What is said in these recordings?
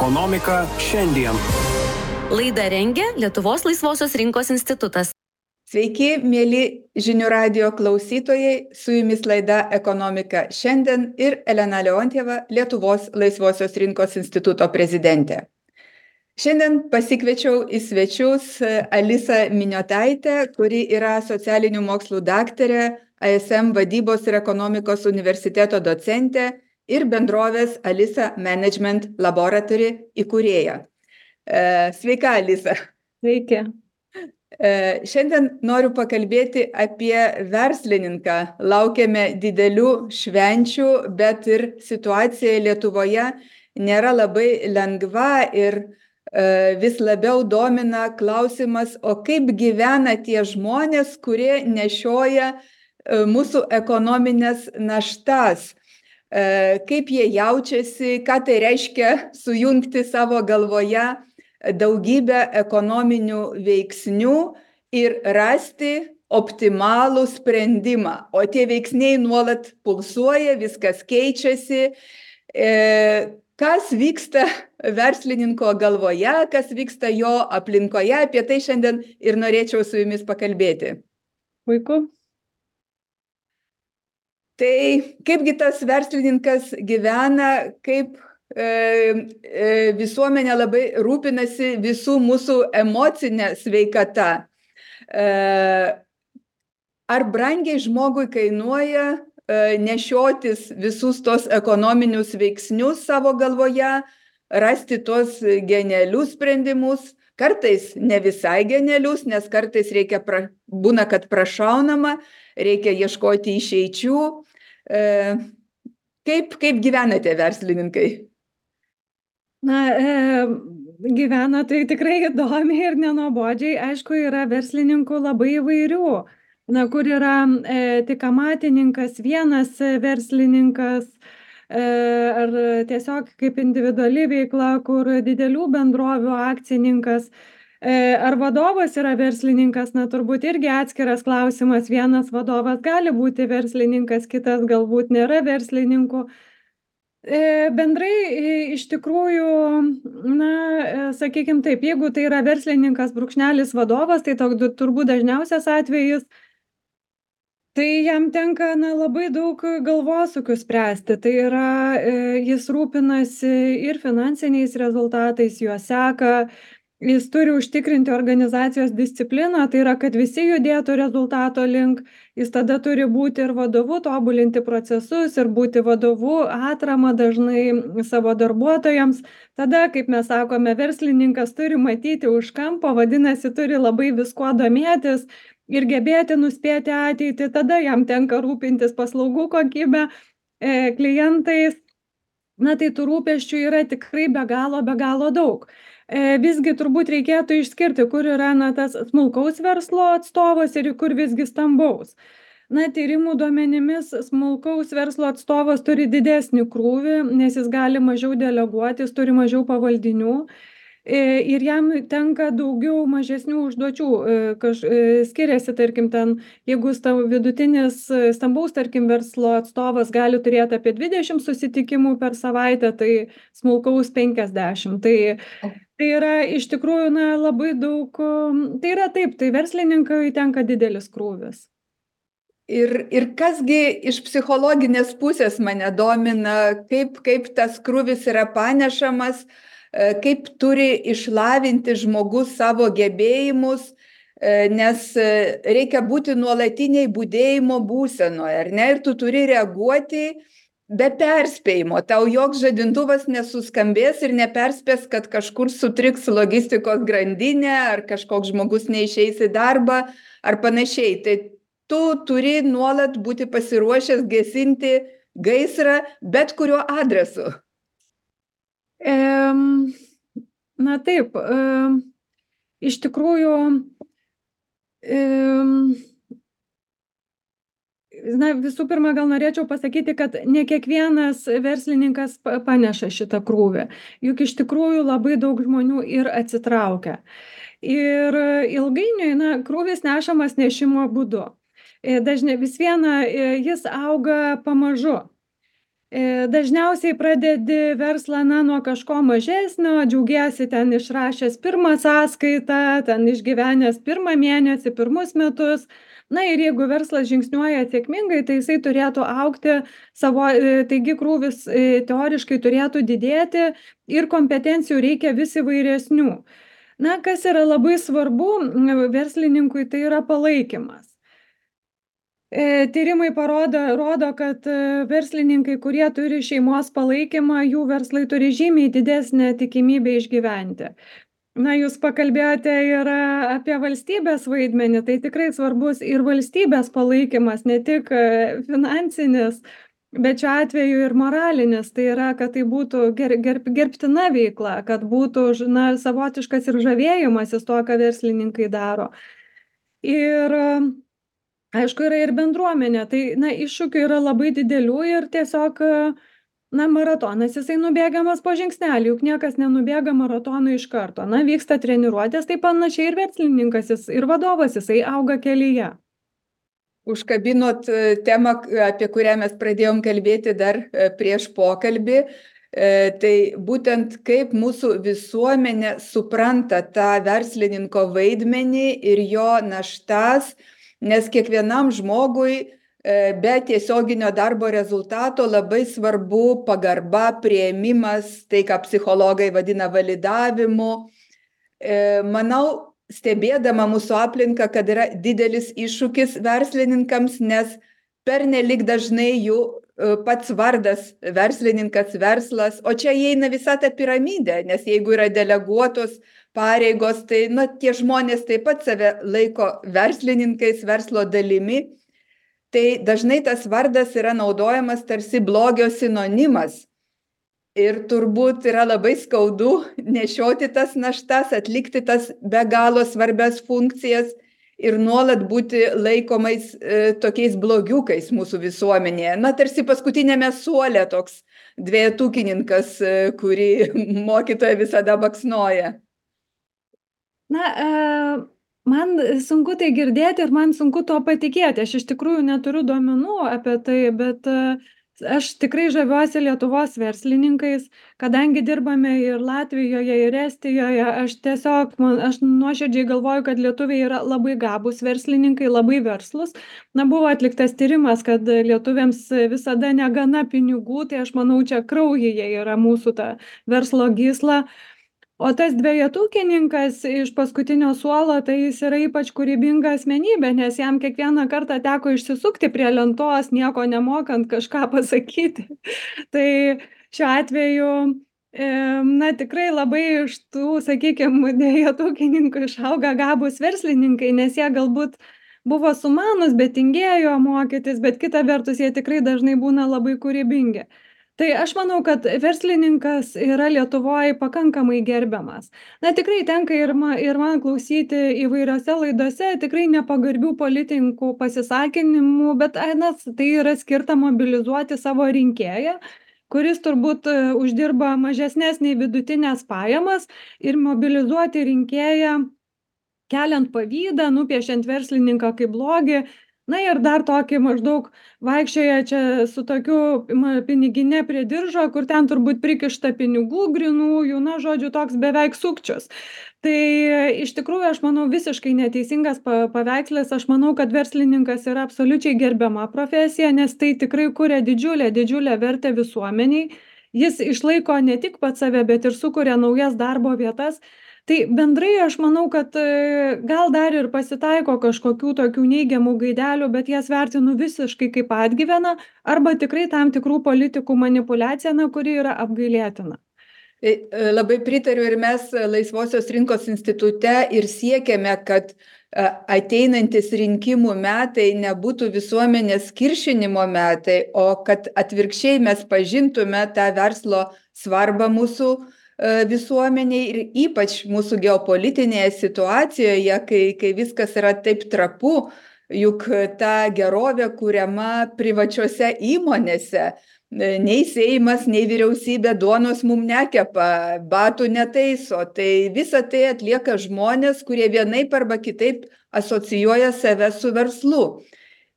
Ekonomika šiandien. Laidą rengia Lietuvos laisvosios rinkos institutas. Sveiki, mėly žinių radijo klausytojai, su jumis laida Ekonomika šiandien ir Elena Leontjeva, Lietuvos laisvosios rinkos instituto prezidentė. Šiandien pasikviečiau į svečius Alisą Miniotaitę, kuri yra socialinių mokslų daktarė, ASM vadybos ir ekonomikos universiteto docentė ir bendrovės Alisa Management Laboratory įkūrėja. Sveika, Alisa. Sveiki. Šiandien noriu pakalbėti apie verslininką. Laukiame didelių švenčių, bet ir situacija Lietuvoje nėra labai lengva ir vis labiau domina klausimas, o kaip gyvena tie žmonės, kurie nešioja mūsų ekonominės naštas. Kaip jie jaučiasi, ką tai reiškia sujungti savo galvoje daugybę ekonominių veiksnių ir rasti optimalų sprendimą. O tie veiksniai nuolat pulsuoja, viskas keičiasi. Kas vyksta verslininko galvoje, kas vyksta jo aplinkoje, apie tai šiandien ir norėčiau su jumis pakalbėti. Puiku. Tai kaipgi tas verslininkas gyvena, kaip visuomenė labai rūpinasi visų mūsų emocinė sveikata. Ar brangiai žmogui kainuoja nešiotis visus tos ekonominius veiksnius savo galvoje, rasti tos genialius sprendimus, kartais ne visai genialius, nes kartais būna, kad prašaunama, reikia ieškoti išeičių. Kaip gyvenate, verslininkai? Gyvena tai tikrai įdomiai ir nenuobodžiai. Aišku, yra verslininkų labai įvairių. Kur yra tik amatininkas, vienas verslininkas, ar tiesiog kaip individuali veikla, kur didelių bendrovių akcininkas, ar vadovas yra verslininkas, turbūt irgi atskiras klausimas. Vienas vadovas gali būti verslininkas, kitas galbūt nėra verslininku. Bendrai iš tikrųjų, sakykime taip, jeigu tai yra verslininkas brūkšnelis vadovas, tai turbūt dažniausias atvejis, tai jam tenka labai daug galvosūkių spręsti. Tai yra, jis rūpinasi ir finansiniais rezultatais, juos seka, jis turi užtikrinti organizacijos discipliną, tai yra, kad visi judėtų rezultato link, jis tada turi būti ir vadovu, tobulinti procesus ir būti vadovu, atrama dažnai savo darbuotojams. Tada, kaip mes sakome, verslininkas turi matyti už kampo, vadinasi, turi labai viskuo domėtis ir gebėti nuspėti ateitį, tada jam tenka rūpintis paslaugų kokybę, klientais. Tai tų rūpesčių yra tikrai be galo daug. Visgi turbūt reikėtų išskirti, kur yra tas smulkaus verslo atstovas ir kur visgi stambaus. Tyrimų duomenimis smulkaus verslo atstovas turi didesnį krūvį, nes jis gali mažiau deleguoti, jis turi mažiau pavaldinių ir jam tenka daugiau mažesnių užduočių. Skiriasi, tarkim, jeigu vidutinis stambaus, tarkim, verslo atstovas gali turėti apie 20 susitikimų per savaitę, tai smulkaus 50. Tai yra iš tikrųjų labai daug, tai yra taip, tai verslininkai tenka didelis krūvis. Ir kasgi iš psichologinės pusės mane domina, kaip tas krūvis yra panešamas, kaip turi išlavinti žmogus savo gebėjimus, nes reikia būti nuolatiniai budėjimo būsenoje, ar ne? Ir tu turi reaguoti be perspėjimo. Tau joks žadintuvas nesuskambės ir neperspės, kad kažkur sutriks logistikos grandinė, ar kažkoks žmogus neišeis į darbą, ar panašiai. Tai tu turi nuolat būti pasiruošęs gesinti gaisrą bet kuriuo adresu. Taip, iš tikrųjų, visų pirma, gal norėčiau pasakyti, kad ne kiekvienas verslininkas paneša šitą krūvį. Juk iš tikrųjų labai daug žmonių ir atsitraukia. Ir ilgainiui, krūvis nešamas nešimo būdu. Dažnai vis viena jis auga pamažu. Dažniausiai pradedi verslą nuo kažko mažesnio, džiaugiesi ten išrašęs pirmą sąskaitą, ten išgyvenęs pirmą mėnesį, pirmus metus. Na ir jeigu verslas žingsniuoja sėkmingai, tai jisai turėtų augti taigi krūvis teoriškai turėtų didėti ir kompetencijų reikia vis įvairesnių. Na, kas yra labai svarbu verslininkui, tai yra palaikymas. Tyrimai rodo, kad verslininkai, kurie turi šeimos palaikymą, jų verslai turi žymiai didesnę tikimybę išgyventi. Na, jūs pakalbėjote ir apie valstybės vaidmenį, tai tikrai svarbus ir valstybės palaikymas, ne tik finansinis, bet šiuo atveju ir moralinis. Tai yra, kad tai būtų gerbtina veikla, kad būtų savotiškas ir žavėjimasis to, ką verslininkai daro. Ir aišku, yra ir bendruomenė, tai iššūkių yra labai didelių ir tiesiog maratonas jisai nubėgamas po žingsnelį, juk niekas nenubėga maratonų iš karto. Vyksta treniruotės, tai panašiai ir verslininkas ir vadovas jisai auga kelyje. Užkabinot temą, apie kurią mes pradėjom kalbėti dar prieš pokalbį. Tai būtent kaip mūsų visuomenė supranta tą verslininko vaidmenį ir jo naštas, nes kiekvienam žmogui be tiesioginio darbo rezultato labai svarbu pagarba, priėmimas, tai ką psichologai vadina validavimu. Manau, stebėdama mūsų aplinką, kad yra didelis iššūkis verslininkams, nes pernelyg dažnai jų pats vardas verslininkas, verslas, o čia įeina visa ta piramidė, nes jeigu yra deleguotos pareigos, tai tie žmonės taip pat save laiko verslininkais, verslo dalimi, tai dažnai tas vardas yra naudojamas tarsi blogio sinonimas. Ir turbūt yra labai skaudu nešioti tas naštas, atlikti tas be galo svarbias funkcijas ir nuolat būti laikomais tokiais blogiukais mūsų visuomenėje. Tarsi paskutinėme suole toks dvejetukininkas, kurį mokytoja visada baksnoja. Man sunku tai girdėti ir man sunku tuo patikėti. Aš iš tikrųjų neturiu duomenų apie tai, bet aš tikrai žaviuosi Lietuvos verslininkais, kadangi dirbame ir Latvijoje, ir Estijoje, aš nuoširdžiai galvoju, kad lietuviai yra labai gabūs verslininkai, labai verslus. Buvo atliktas tyrimas, kad lietuviams visada negana pinigų, tai aš manau, čia kraujyje yra mūsų ta verslo gysla. O tas dvejetukininkas iš paskutinio suolo, tai jis yra ypač kūrybinga asmenybė, nes jam kiekvieną kartą teko išsisukti prie lentos, nieko nemokant kažką pasakyti. Tai šiuo atveju, tikrai labai iš tų, sakykime, dvejetukininkų išauga gabūs verslininkai, nes jie galbūt buvo sumanus, bet tingėjo mokytis, bet kita vertus jie tikrai dažnai būna labai kūrybingi. Tai aš manau, kad verslininkas yra Lietuvoje pakankamai gerbiamas. Tikrai tenka ir man klausyti įvairiose laidose, tikrai nepagarbių politikų pasisakinimų, bet tai yra skirta mobilizuoti savo rinkėją, kuris turbūt uždirba mažesnės nei vidutinės pajamas, ir mobilizuoti rinkėją, keliant pavydą, nupiešiant verslininką kaip blogį. Ir dar tokį maždaug vaikščioja čia su tokiu pinigine prie diržo, kur ten turbūt prikišta pinigų grinųjų, žodžiu, toks beveik sukčius. Tai iš tikrųjų, aš manau, visiškai neteisingas paveikslas. Aš manau, kad verslininkas yra absoliučiai gerbiama profesija, nes tai tikrai kuria didžiulę vertę visuomeniai. Jis išlaiko ne tik pats save, bet ir sukuria naujas darbo vietas. Tai bendrai aš manau, kad gal dar ir pasitaiko kažkokių tokių neigiamų gaidelių, bet jas vertinu visiškai kaip atgyveną arba tikrai tam tikrų politikų manipulaciją, kuri yra apgailėtina. Labai pritariu, ir mes Laisvosios rinkos institute ir siekiame, kad ateinantis rinkimų metai nebūtų visuomenės kiršinimo metai, o kad atvirkščiai mes pažintume tą verslo svarbą mūsų visuomeniai ir ypač mūsų geopolitinėje situacijoje, kai viskas yra taip trapu, juk ta gerovė kuriama privačiose įmonėse. Nei Seimas, nei vyriausybė duonos mum nekepa, batų netaiso. Tai visą tai atlieka žmonės, kurie vienaip arba kitaip asocijuoja save su verslu.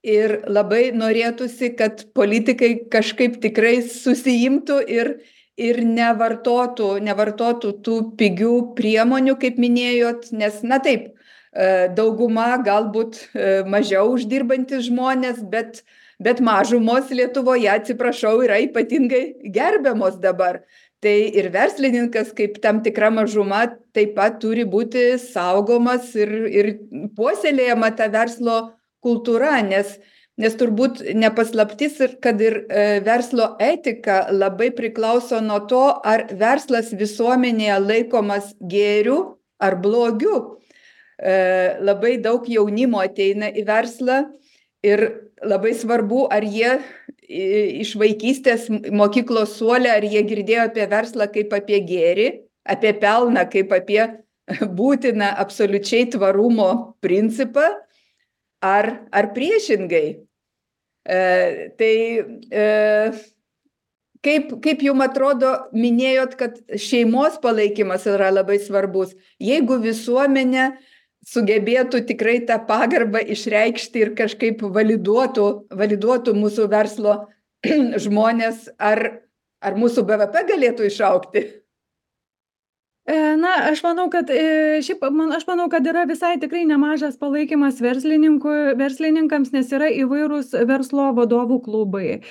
ir labai norėtųsi, kad politikai kažkaip tikrai susiimtų ir nevartotų tų pigių priemonių, kaip minėjot, nes, na taip, dauguma galbūt mažiau uždirbantis žmonės, bet mažumos Lietuvoje, atsiprašau, yra ypatingai gerbiamos dabar. Tai ir verslininkas kaip tam tikra mažuma taip pat turi būti saugomas ir puoselėjama ta verslo kultūra, nes turbūt nepaslaptis, kad ir verslo etika labai priklauso nuo to, ar verslas visuomenėje laikomas gėriu ar blogiu. Labai daug jaunimo ateina į verslą ir labai svarbu, ar jie iš vaikystės mokyklos suole, ar jie girdėjo apie verslą kaip apie gėrį, apie pelną kaip apie būtiną absoliučiai tvarumo principą, ar priešingai. Kaip jums atrodo, minėjot, kad šeimos palaikymas yra labai svarbus. Jeigu visuomenė sugebėtų tikrai tą pagarbą išreikšti ir kažkaip validuotų mūsų verslo žmonės, ar mūsų BVP galėtų išaugti? Na, aš manau, kad yra visai tikrai nemažas palaikymas verslininkams, nes yra įvairūs verslo vadovų klubai.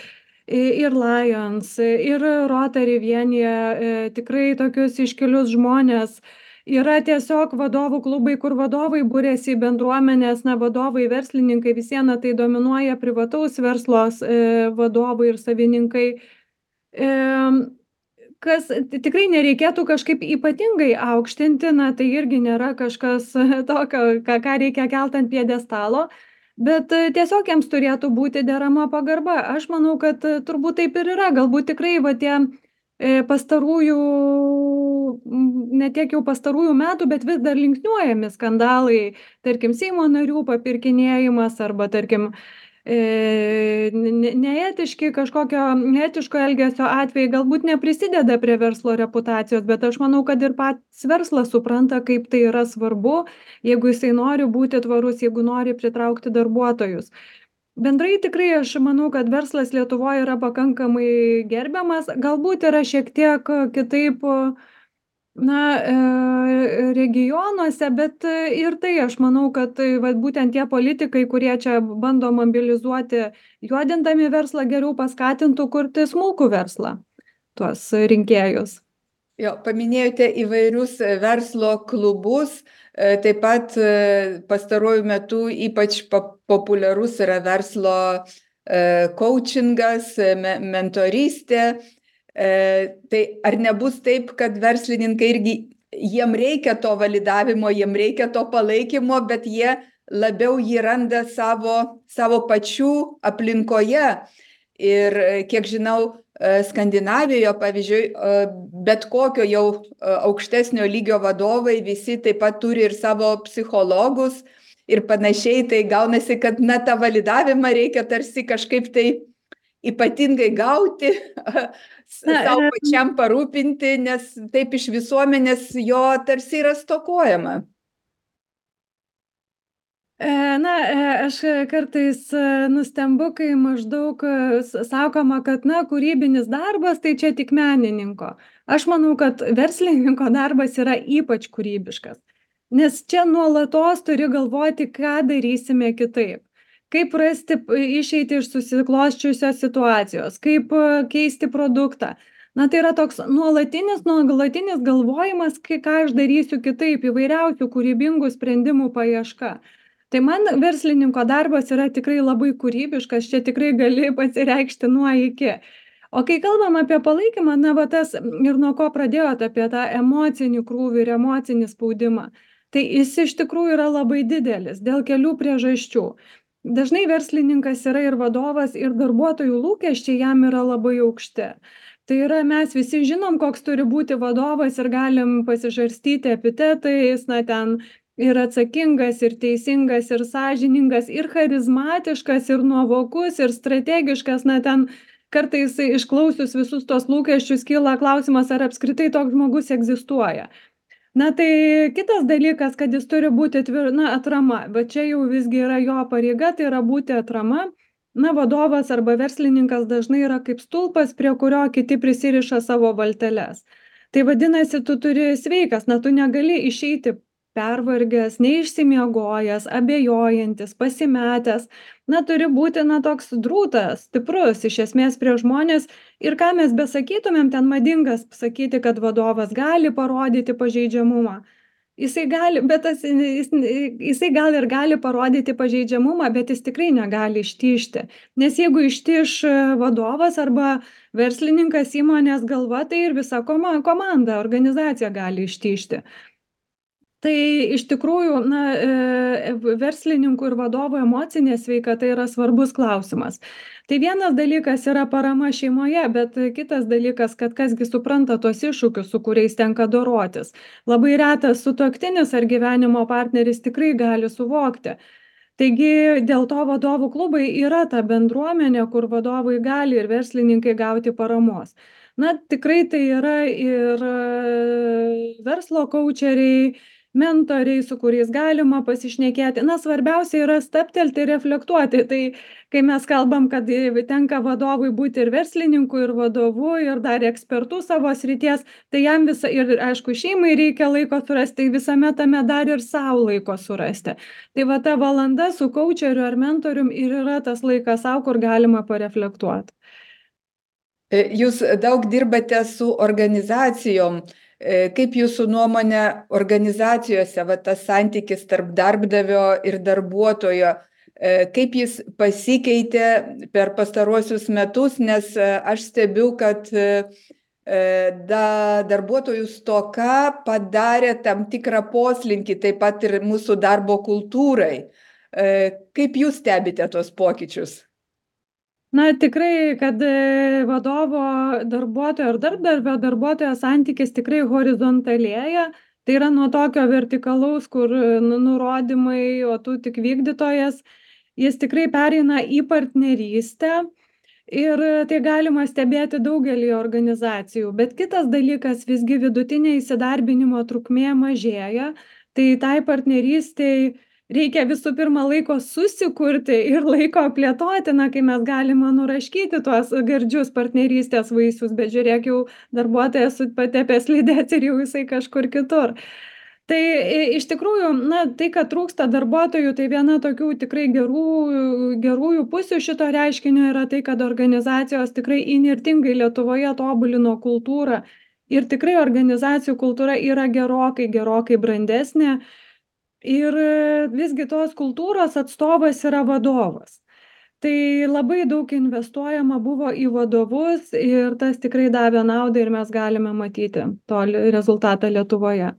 Ir Lions, ir Rotary vienija tikrai tokius iškilius žmonės. Yra tiesiog vadovų klubai, kur vadovai būrėsi į bendruomenės, vadovai, verslininkai, visieną tai dominuoja privataus verslos vadovai ir savininkai. Kas tikrai nereikėtų kažkaip ypatingai aukštinti, tai irgi nėra kažkas tokio, ką reikia kelt ant pjedestalo, bet tiesiog jiems turėtų būti derama pagarba. Aš manau, kad turbūt taip ir yra. Galbūt tikrai tie pastarųjų, ne tiek jau pastarųjų metų, bet vis dar linksniuojami skandalai, tarkim, Seimo narių papirkinėjimas arba, tarkim, neetiško elgesio atvejai galbūt neprisideda prie verslo reputacijos, bet aš manau, kad ir pats verslas supranta, kaip tai yra svarbu, jeigu jisai nori būti tvarus, jeigu nori pritraukti darbuotojus. Bendrai tikrai aš manau, kad verslas Lietuvoje yra pakankamai gerbiamas, galbūt yra šiek tiek kitaip regionuose, bet ir tai aš manau, kad būtent tie politikai, kurie čia bando mobilizuoti, juodindami verslą, geriau paskatintų kurti smulkų verslą, tuos rinkėjus. Jo, paminėjote įvairius verslo klubus, taip pat pastaruoju metu ypač populiarus yra verslo coachingas, mentorystė. Tai ar nebus taip, kad verslininkai irgi, jiem reikia to validavimo, jiem reikia to palaikymo, bet jie labiau jį randa savo pačių aplinkoje. Ir kiek žinau, Skandinavijoje, pavyzdžiui, bet kokio jau aukštesnio lygio vadovai visi taip pat turi ir savo psichologus ir panašiai. Tai gaunasi, kad tą validavimą reikia tarsi kažkaip tai ypatingai gauti, savo pačiam parūpinti, nes taip iš visuomenės jo tarsi yra stokojama. Aš kartais nustembu, kai maždaug sakoma, kad kūrybinis darbas tai čia tik menininko. Aš manau, kad verslininko darbas yra ypač kūrybiškas, nes čia nuolatos turi galvoti, ką darysime kitaip, kaip rasti išeitį iš susiklosčiusios situacijos, kaip keisti produktą. Tai yra toks nuolatinis galvojimas, ką aš darysiu kitaip, įvairiausių kūrybingų sprendimų paieška. Tai man verslininko darbas yra tikrai labai kūrybiškas, čia tikrai gali pasireikšti nuo iki. O kai kalbam apie palaikymą, tas ir nuo ko pradėjot apie tą emocinį krūvį ir emocinį spaudimą, tai jis iš tikrųjų yra labai didelis dėl kelių priežasčių. Dažnai verslininkas yra ir vadovas, ir darbuotojų lūkesčiai jam yra labai aukšti. Tai yra, mes visi žinom, koks turi būti vadovas ir galim pasižarstyti epitetais, ten ir atsakingas, ir teisingas, ir sąžiningas, ir charizmatiškas, ir nuovokus, ir strategiškas. Ten kartais išklausius visus tos lūkesčius kyla klausimas, ar apskritai toks žmogus egzistuoja. Na, tai kitas dalykas, kad jis turi būti atrama, bet čia jau visgi yra jo pareiga, tai yra būti atrama. Na, vadovas arba verslininkas dažnai yra kaip stulpas, prie kurio kiti prisiriša savo valteles. Tai vadinasi, tu turi sveikas, na, tu negali išeiti pervargęs, neišsimiegojęs, abejojantis, pasimetęs. Na, turi būti, na, toks drūtas, stiprus, iš esmės prie žmonės. Ir ką mes besakytumėm, ten madingas sakyti, kad vadovas gali parodyti pažeidžiamumą. Jisai gali, bet jisai gal ir gali parodyti pažeidžiamumą, bet jis tikrai negali ištižti. Nes jeigu ištiž vadovas arba verslininkas įmonės galva, tai ir visa komanda, organizacija gali ištižti. Tai iš tikrųjų, na, verslininkų ir vadovų emocinė sveikata yra svarbus klausimas. Tai vienas dalykas yra parama šeimoje, bet kitas dalykas, kad kasgi supranta tuos iššūkius, su kuriais tenka dorotis. Labai retas sutuoktinis ar gyvenimo partneris tikrai gali suvokti. Taigi dėl to vadovų klubai yra ta bendruomenė, kur vadovai gali ir verslininkai gauti paramos. Na, tikrai tai yra ir verslo kaučeriai, mentoriai, su kuriais galima pasišnekėti. Na, svarbiausia yra stabtelti ir reflektuoti. Tai kai mes kalbam, kad tenka vadovui būti ir verslininku, ir vadovu, ir dar ekspertų savo srities, tai jam ir aišku, šeimai reikia laiko surasti, tai visame tame dar ir savo laiko surasti. Tai va ta valanda su kaučeriu ar mentorium ir yra tas laikas savo, kur galima pareflektuoti. Jūs daug dirbate su organizacijom. Kaip jūsų nuomonė organizacijose, va, tas santykis tarp darbdavio ir darbuotojo, kaip jis pasikeitė per pastaruosius metus, nes aš stebiu, kad darbuotojų stoka padarė tam tikrą poslinkį, taip pat ir mūsų darbo kultūrai. Kaip jūs stebite tos pokyčius? Na, tikrai, kad vadovo darbuotojo ar darbdavio darbuotojo santykis tikrai horizontalėja. Tai yra nuo tokio vertikalaus, kur nurodymai, o tu tik vykdytojas, jis tikrai pereina į partnerystę. Ir tai galima stebėti daugelį organizacijų. Bet kitas dalykas, visgi vidutinė įsidarbinimo trukmė mažėja. Tai tai partnerystei reikia visų pirma laiko susikurti ir laiko plėtoti, na, kai mes galime nuraškyti tuos gardžius partnerystės vaisius, bet žiūrėk, jau darbuotojas patepęs slides ir jau jisai kažkur kitur. Tai iš tikrųjų, na, tai, kad trūksta darbuotojų, tai viena tokių tikrai gerųjų pusių šito reiškinio yra tai, kad organizacijos tikrai įnirtingai Lietuvoje tobulino kultūrą ir tikrai organizacijų kultūra yra gerokai brandesnė. Ir visgi tos kultūros atstovas yra vadovas. Tai labai daug investuojama buvo į vadovus ir tas tikrai davė naudą ir mes galime matyti to rezultatą Lietuvoje.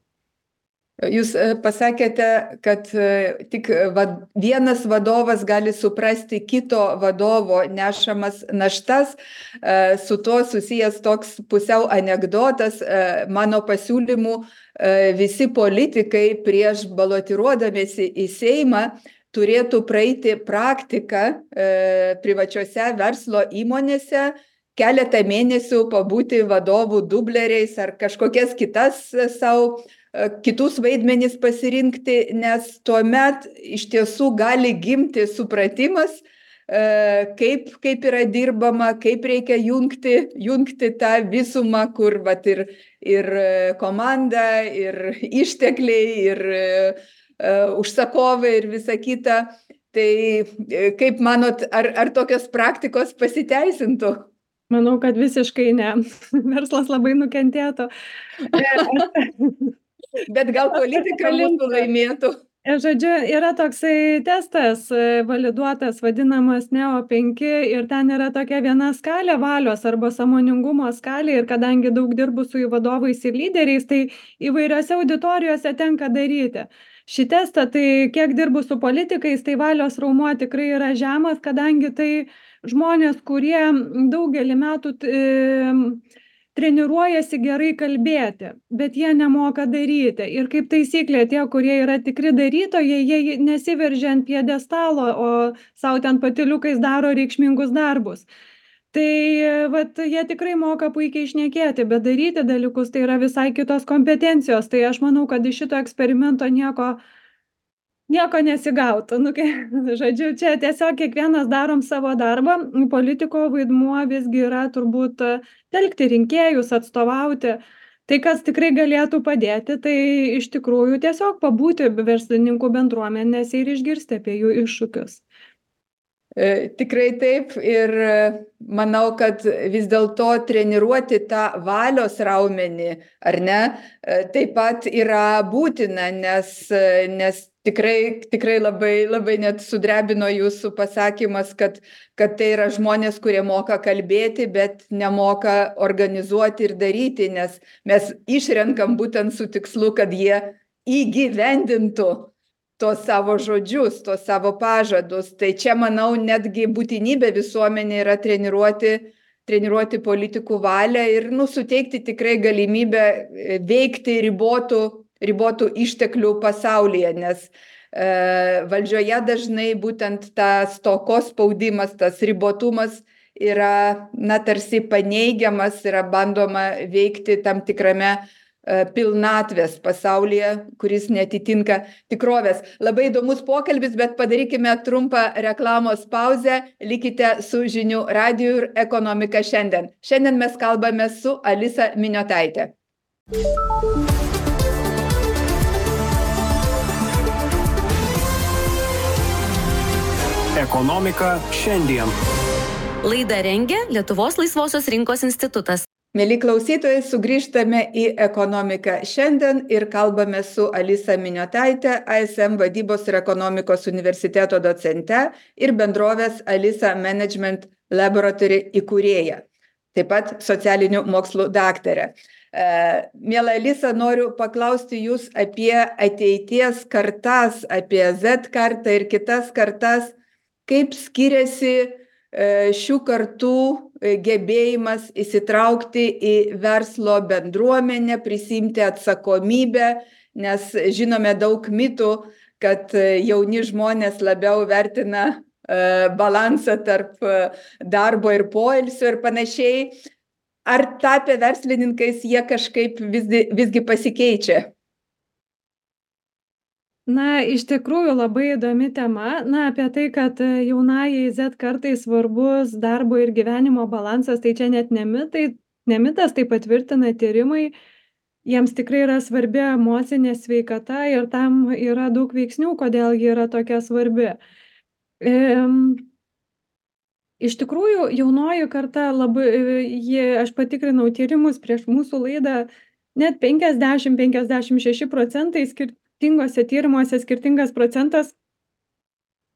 Jūs pasakėte, kad tik vienas vadovas gali suprasti kito vadovo nešamas naštas. Su tuo susijęs toks pusiau anekdotas. Mano pasiūlymų visi politikai prieš balotiruodamiesi į Seimą turėtų praeiti praktiką privačiose verslo įmonėse, keletą mėnesių pabūti vadovų dubleriais ar kažkokias kitus vaidmenis pasirinkti, nes tuomet iš tiesų gali gimti supratimas, kaip yra dirbama, kaip reikia jungti tą visumą, kur vat, ir komanda, ir ištekliai, ir užsakovai ir visa kita. Tai kaip manot, ar tokios praktikos pasiteisintų? Manau, kad visiškai ne. Verslas labai nukentėtų. Bet gal politika mūsų laimėtų? Žodžiu, yra toksai testas validuotas, vadinamas NEO 5 ir ten yra tokia viena skalė valios arba sąmoningumo skalė ir kadangi daug dirbu su vadovais ir lyderiais, tai įvairiose auditorijose tenka daryti šį testą. Tai kiek dirbu su politikais, tai valios raumuo tikrai yra žemas, kadangi tai žmonės, kurie daugelį metų treniruojasi gerai kalbėti, bet jie nemoka daryti. Ir kaip taisyklė, tie, kurie yra tikri darytojai, jie nesiveržia ant pjedestalo, o savo ten patyliukais daro reikšmingus darbus. Tai vat jie tikrai moka puikiai šnekėti, bet daryti dalykus tai yra visai kitos kompetencijos. Tai aš manau, kad iš šito eksperimento nieko nesigautų. Nu, žodžiu, čia tiesiog kiekvienas darom savo darbą. Politiko vaidmuo visgi yra turbūt telkti rinkėjus, atstovauti. Tai, kas tikrai galėtų padėti, tai iš tikrųjų tiesiog pabūti verslininkų bendruomenėse ir išgirsti apie jų iššūkius. Tikrai taip ir manau, kad vis dėlto treniruoti tą valios raumenį, ar ne, taip pat yra būtina, nes tikrai labai net sudrebino jūsų pasakymas, kad tai yra žmonės, kurie moka kalbėti, bet nemoka organizuoti ir daryti, nes mes išrenkam būtent su tikslu, kad jie įgyvendintų tos savo žodžius, tos savo pažadus. Tai čia, manau, netgi būtinybė visuomenė yra treniruoti politikų valią ir suteikti tikrai galimybę veikti ribotų išteklių pasaulyje, nes valdžioje dažnai būtent tas stokos spaudimas, tas ribotumas yra, tarsi paneigiamas, yra bandoma veikti tam tikrame pilnatvės pasaulyje, kuris neatitinka tikrovės. Labai įdomus pokalbis, bet padarykime trumpą reklamos pauzę. Likite su Žinių radiju ir Ekonomika šiandien. Šiandien mes kalbame su Alisa Miniotaite. Ekonomika šiandien. Laidą rengia Lietuvos laisvosios rinkos institutas. Mėly klausytojai, sugrįžtame į Ekonomiką šiandien ir kalbame su Alisa Miniotaite, ASM vadybos ir ekonomikos universiteto docente ir bendrovės Alisa Management Laboratory įkūrėja, taip pat socialinių mokslų daktarė. Miela Alisa, noriu paklausti jūs apie ateities kartas, apie Z kartą ir kitas kartas, kaip skiriasi šių kartų gebėjimas įsitraukti į verslo bendruomenę, prisiimti atsakomybę, nes žinome daug mitų, kad jauni žmonės labiau vertina balansą tarp darbo ir poilsio ir panašiai. Ar tapę verslininkais jie kažkaip visgi pasikeičia? Iš tikrųjų labai įdomi tema. Apie tai, kad jaunajai Z kartai svarbus darbo ir gyvenimo balansas, tai čia net ne mitas, tai patvirtina tyrimai. Jiems tikrai yra svarbi emocinė sveikata ir tam yra daug veiksnių, kodėl ji yra tokia svarbi. Iš tikrųjų, jaunoji karta aš patikrinau tyrimus prieš mūsų laidą, net 50-56% skirtingose tyrimuose skirtingas procentas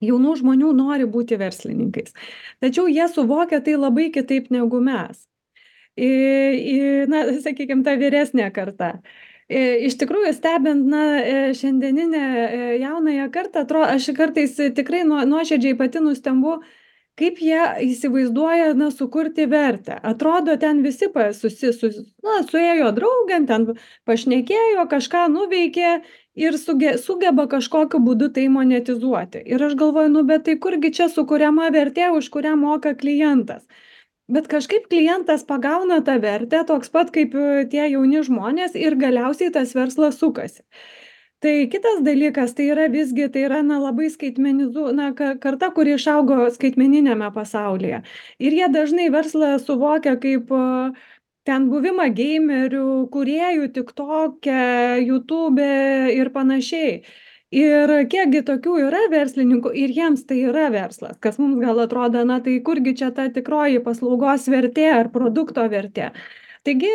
jaunų žmonių nori būti verslininkais. Tačiau jie suvokia tai labai kitaip negu mes. Sakykime, ta vyresnė karta. Iš tikrųjų, stebint šiandieninę jaunąją kartą, aš kartais tikrai nuoširdžiai pati nustembu, kaip jie įsivaizduoja sukurti vertę. Atrodo, ten visi suėjo draugėm, ten pašnekėjo, kažką nuveikė ir sugeba kažkokiu būdu tai monetizuoti. Ir aš galvoju, bet tai kurgi čia sukuriama vertė, už kurią moka klientas. Bet kažkaip klientas pagauna tą vertę, toks pat kaip tie jauni žmonės ir galiausiai tas verslas sukasi. Tai kitas dalykas, tai yra labai karta, kuri išaugo skaitmeniniame pasaulyje. Ir jie dažnai verslą suvokia kaip ten buvimą gamerių, kūrėjų, TikTok'e, YouTube'e ir panašiai. Ir kiekgi tokių yra verslininkų ir jiems tai yra verslas, kas mums gal atrodo, tai kurgi čia ta tikroji paslaugos vertė ar produkto vertė. Taigi,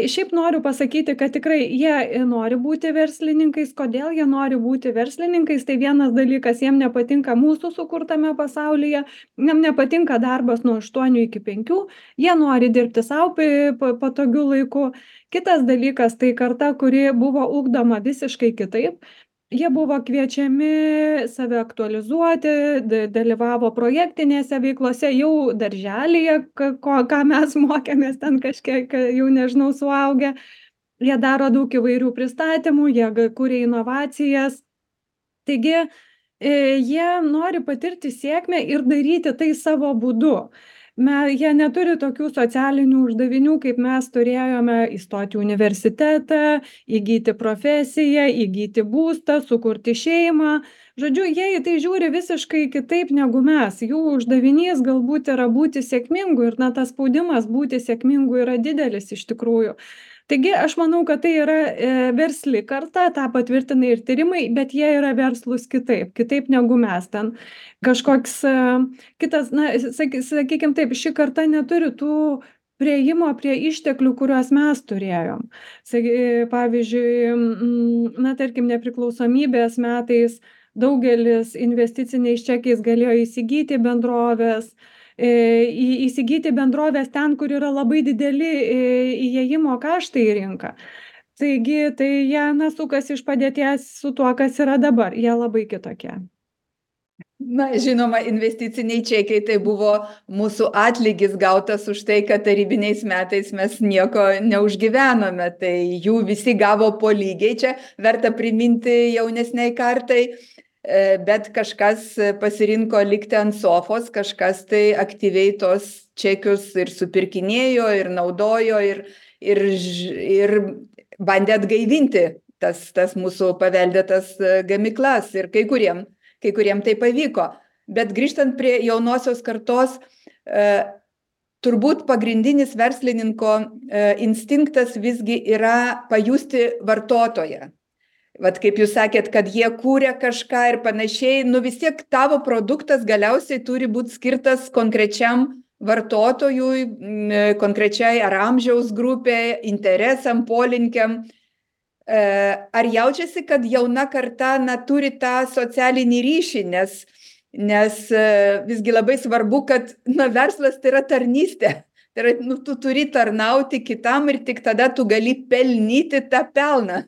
šiaip noriu pasakyti, kad tikrai jie nori būti verslininkais. Kodėl jie nori būti verslininkais? Tai vienas dalykas, jiem nepatinka mūsų sukurtame pasaulyje, jiem nepatinka darbas nuo 8 iki 5, jie nori dirbti savo patogiu laiku. Kitas dalykas, tai karta, kuri buvo ugdoma visiškai kitaip. Jie buvo kviečiami save aktualizuoti, dalyvavo projektinėse veiklose jau darželyje, ką mes mokėmės ten kažkiek, jau nežinau, suaugę. Jie daro daug įvairių pristatymų, jie kuria inovacijas. Taigi, jie nori patirti sėkmę ir daryti tai savo būdu. Jie neturi tokių socialinių uždavinių, kaip mes turėjome įstoti į universitetą, įgyti profesiją, įgyti būstą, sukurti šeimą. Žodžiu, jie į tai žiūri visiškai kitaip negu mes. Jų uždavinys galbūt yra būti sėkmingu ir tas spaudimas būti sėkmingu yra didelis iš tikrųjų. Taigi aš manau, kad tai yra versli karta, tą patvirtina ir tyrimai, bet jie yra verslūs kitaip negu mes. Ten kažkoks kitas, sakykim taip, ši karta neturi tų priėjimo prie išteklių, kuriuos mes turėjom. Pavyzdžiui, tarkim, nepriklausomybės metais daugelis investiciniais čekiais galėjo įsigyti bendrovės, įsigyti bendrovės ten, kur yra labai dideli įėjimo kaštai į rinką. Taigi, tai jie sukasi iš padėties su tuo, kas yra dabar. Jie labai kitokie. Žinoma, investiciniai čekiai tai buvo mūsų atlygis gautas už tai, kad tarybiniais metais mes nieko neužgyvenome. Tai jų visi gavo po lygiai. Čia verta priminti jaunesniai kartai. Bet kažkas pasirinko likti ant sofos, kažkas tai aktyviai tos čekius ir supirkinėjo, ir naudojo, ir bandė atgaivinti tas mūsų paveldėtas gamyklas. Ir kai kuriem tai pavyko. Bet grįžtant prie jaunosios kartos, turbūt pagrindinis verslininko instinktas visgi yra pajusti vartotoją. Vat kaip jūs sakėt, kad jie kūrė kažką ir panašiai, vis tiek tavo produktas galiausiai turi būti skirtas konkrečiam vartotojui, konkrečiai ar amžiaus grupė, interesam, polinkiam. Ar jaučiasi, kad jauna karta turi tą socialinį ryšį, nes visgi labai svarbu, kad verslas tai yra tarnystė. Tai yra, tu turi tarnauti kitam ir tik tada tu gali pelnyti tą pelną.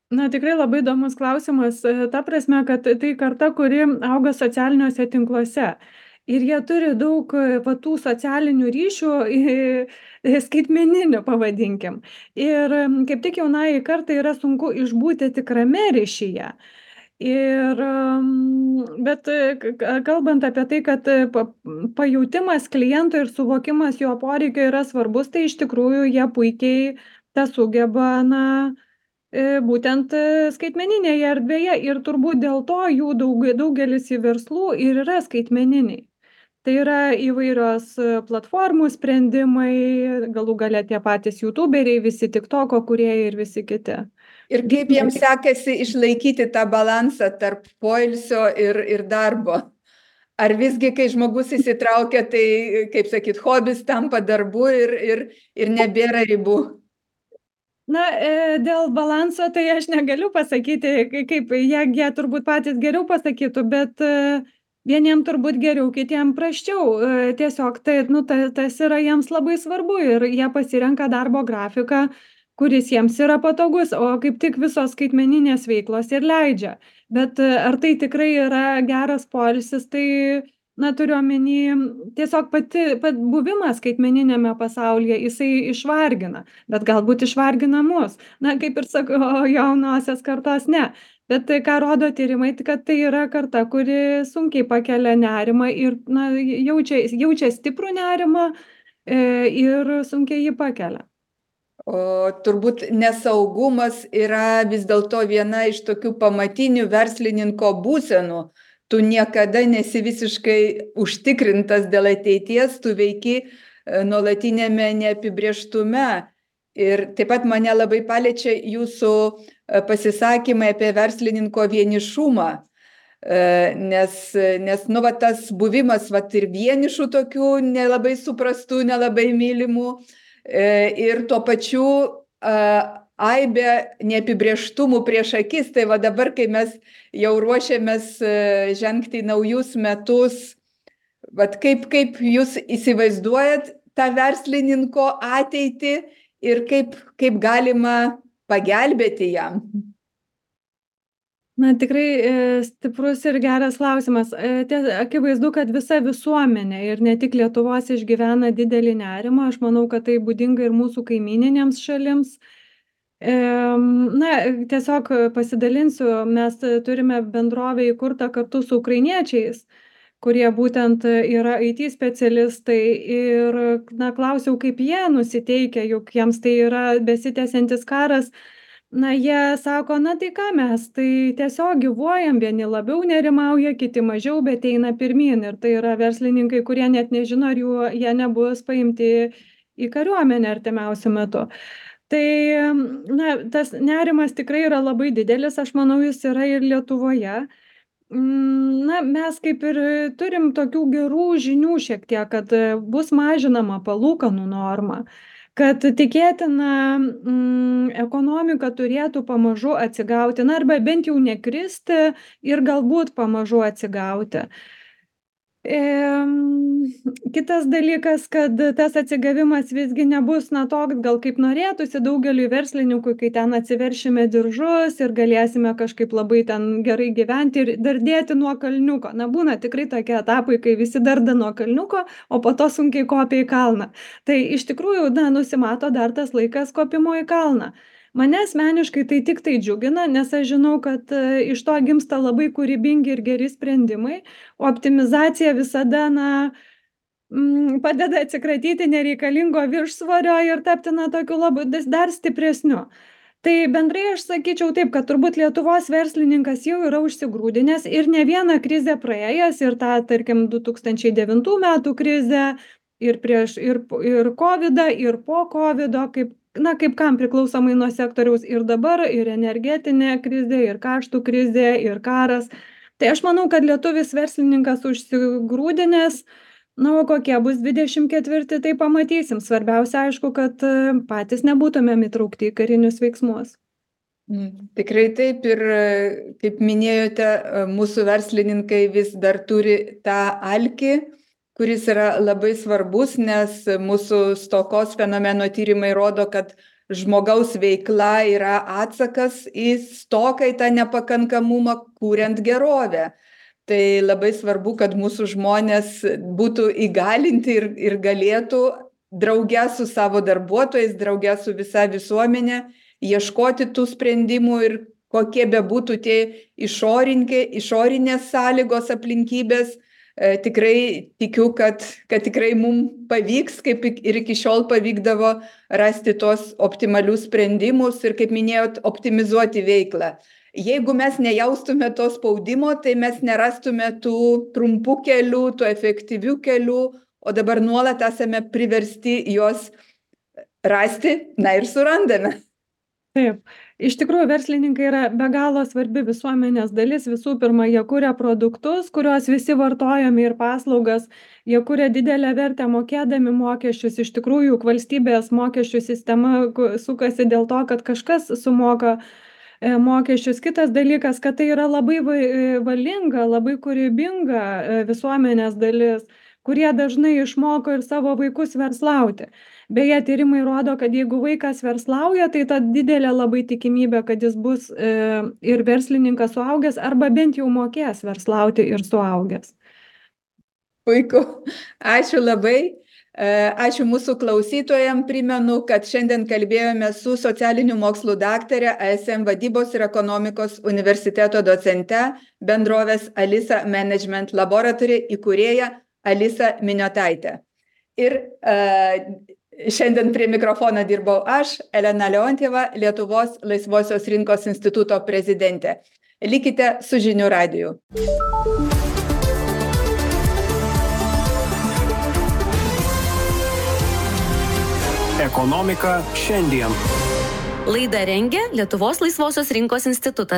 Tikrai labai įdomus klausimas, ta prasme, kad tai karta, kuri auga socialiniuose tinkluose. Ir jie turi daug tų socialinių ryšių, skaitmeninių, pavadinkim. Ir kaip tik jaunai kartai yra sunku išbūti tikrame ryšyje. Bet kalbant apie tai, kad pajautimas kliento ir suvokimas jo poreikio yra svarbus, tai iš tikrųjų jie puikiai tą sugeba, būtent skaitmeninėje erdvėje ir turbūt dėl to jų daugelis į verslų ir yra skaitmeniniai. Tai yra įvairios platformų sprendimai, galų gale tie patys YouTuberiai, visi TikToko kūrėjai ir visi kiti. Ir kaip jiems sekasi išlaikyti tą balansą tarp poilsio ir darbo? Ar visgi, kai žmogus įsitraukia, tai, kaip sakyt, hobis tampa darbu ir nebėra ribų? Dėl balanso tai aš negaliu pasakyti, kaip jie turbūt patys geriau pasakytų, bet vieniem turbūt geriau, kitiem prasčiau. Tiesiog tas yra jiems labai svarbu ir jie pasirenka darbo grafiką, kuris jiems yra patogus, o kaip tik visos skaitmeninės veiklos ir leidžia. Bet ar tai tikrai yra geras poilsis, tai turiu omeny, tiesiog buvimas skaitmeniniame pasaulyje, jisai išvargina, bet galbūt išvargina mus. Kaip ir sakau, jaunosios kartos ne. Bet ką rodo tyrimai, kad tai yra karta, kuri sunkiai pakelia nerimą ir jaučia stiprų nerimą ir sunkiai jį pakelia. O turbūt nesaugumas yra vis dėlto viena iš tokių pamatinių verslininko būsenų. Tu niekada nesi visiškai užtikrintas dėl ateities, tu veiki nuolatinėme neapibrėžtume. Ir taip pat mane labai paliečia jūsų pasisakymai apie verslininko vienišumą. Nes tas buvimas ir vienišų tokių nelabai suprastų, nelabai mylimų ir tuo pačiu aibė neapibrėžtumų prieš akis. Tai dabar, kai mes jau ruošiamės žengti naujus metus, kaip jūs įsivaizduojat tą verslininko ateitį ir kaip galima pagelbėti jam? Tikrai stiprus ir geras klausimas. Akivaizdu, kad visa visuomenė ir ne tik Lietuvos išgyvena didelį nerimą. Aš manau, kad tai būdinga ir mūsų kaimyninėms šalims. Tiesiog pasidalinsiu, mes turime bendrovę įkurtą kartu su ukrainiečiais, kurie būtent yra IT specialistai ir, klausiau, kaip jie nusiteikę, juk jiems tai yra besitęsiantis karas. Jie sako, tai ką mes, tai tiesiog gyvuojam, vieni labiau nerimauja, kiti mažiau, bet eina pirmyn. Ir tai yra verslininkai, kurie net nežino, ar jie nebus paimti į kariuomenę artimiausiu metu. Tai, tas nerimas tikrai yra labai didelis, aš manau, jis yra ir Lietuvoje. Mes kaip ir turim tokių gerų žinių šiek tiek, kad bus mažinama palūkanų norma, kad tikėtina ekonomika turėtų pamažu atsigauti, arba bent jau nekristi ir galbūt pamažu atsigauti. Kitas dalykas, kad tas atsigavimas visgi nebus toks, gal kaip norėtųsi daugeliui verslininkų, kai ten atsiveršime diržus ir galėsime kažkaip labai ten gerai gyventi ir dar dėti nuo kalniuko. Būna tikrai tokie etapai, kai visi darda nuo kalniuko, o po to sunkiai kopia į kalną. Tai iš tikrųjų, nusimato dar tas laikas kopimo į kalną. Mane asmeniškai tai tik tai džiugina, nes aš žinau, kad iš to gimsta labai kūrybingi ir geri sprendimai, o optimizacija visada padeda atsikratyti nereikalingo viršsvorio ir tapti tokiu labai dar stipresniu. Tai bendrai aš sakyčiau taip, kad turbūt Lietuvos verslininkas jau yra užsigrūdinęs ir ne vieną krizę praėjęs, ir tą, tarkim, 2009 metų krizę, ir prieš, ir COVID-ą, ir po COVID-o, kaip kam priklausomai nuo sektoriaus, ir dabar, ir energetinė krizė, ir kaštų krizė, ir karas. Tai aš manau, kad lietuvis verslininkas užsigrūdinęs, o kokie bus 24, tai pamatysim. Svarbiausia, aišku, kad patys nebūtumėm įtraukti į karinius veiksmus. Tikrai taip, ir kaip minėjote, mūsų verslininkai vis dar turi tą alkį, kuris yra labai svarbus, nes mūsų stokos fenomeno tyrimai rodo, kad žmogaus veikla yra atsakas į stoką, į tą nepakankamumą, kuriant gerovę. Tai labai svarbu, kad mūsų žmonės būtų įgalinti ir galėtų drauge su savo darbuotojais, drauge su visa visuomenė ieškoti tų sprendimų, ir kokie bebūtų tie išorinės sąlygos, aplinkybės. Tikrai tikiu, kad tikrai mums pavyks, kaip ir iki šiol pavykdavo rasti tos optimalius sprendimus ir, kaip minėjot, optimizuoti veiklą. Jeigu mes nejaustume to spaudimo, tai mes nerastume tų trumpų kelių, tų efektyvių kelių, o dabar nuolat esame priversti juos rasti, ir surandame. Taip. Iš tikrųjų, verslininkai yra be galo svarbi visuomenės dalis. Visų pirma, jie kuria produktus, kuriuos visi vartojame, ir paslaugas. Jie kuria didelę vertę mokėdami mokesčius. Iš tikrųjų, juk valstybės mokesčių sistema sukasi dėl to, kad kažkas sumoka mokesčius. Kitas dalykas, kad tai yra labai valinga, labai kūrybinga visuomenės dalis, kurie dažnai išmoko ir savo vaikus verslauti. Beje, tyrimai rodo, kad jeigu vaikas verslauja, tai ta didelė labai tikimybė, kad jis bus ir verslininkas suaugęs, arba bent jau mokės verslauti ir suaugęs. Puiku. Ačiū labai. Ačiū mūsų klausytojams. Primenu, kad šiandien kalbėjome su socialinių mokslų daktare, ASM Vadybos ir ekonomikos universiteto docente, bendrovės Alisa Management Laboratory įkūrėja Alisa Miniotaitė. Ir šiandien prie mikrofono dirbau aš, Elena Leontjeva, Lietuvos Laisvosios rinkos instituto prezidentė. Likite su Žinių radiju. Ekonomika šiandien. Laidą rengė Lietuvos Laisvosios rinkos institutas.